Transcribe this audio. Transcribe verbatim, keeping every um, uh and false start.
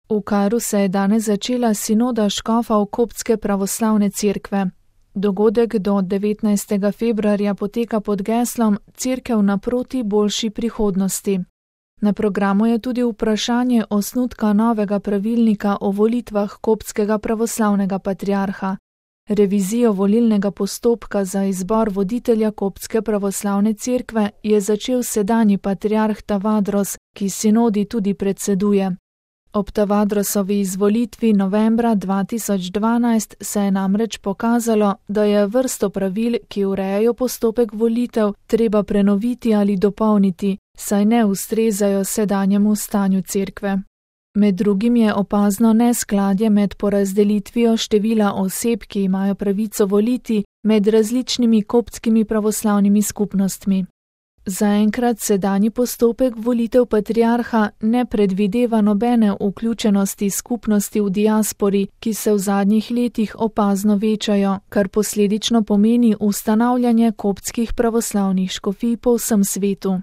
V Kairu se je danes začela sinoda škofov koptske pravoslavne cerkve. Dogodek do devetnajstega februarja poteka pod geslom Cerkev naproti boljši prihodnosti. Na programu je tudi vprašanje osnutka novega pravilnika o volitvah koptskega pravoslavnega patriarha. Revizijo volilnega postopka za izbor voditelja koptske pravoslavne cerkve je začel sedanji patriarh Tavadros, ki sinodi tudi predseduje. Ob Tavadrosovi izvolitvi novembra dva tisoč dvanajst se je namreč pokazalo, da je vrsto pravil, ki urejajo postopek volitev, treba prenoviti ali dopolniti, saj ne ustrezajo sedanjemu stanju cerkve. Med drugim je opazno neskladje med porazdelitvijo števila oseb, ki imajo pravico voliti, med različnimi koptskimi pravoslavnimi skupnostmi. Zaenkrat sedanji postopek volitev patriarha ne predvideva nobene vključenosti skupnosti v diaspori, ki se v zadnjih letih opazno večajo, kar posledično pomeni ustanavljanje koptskih pravoslavnih škofij po vsem svetu.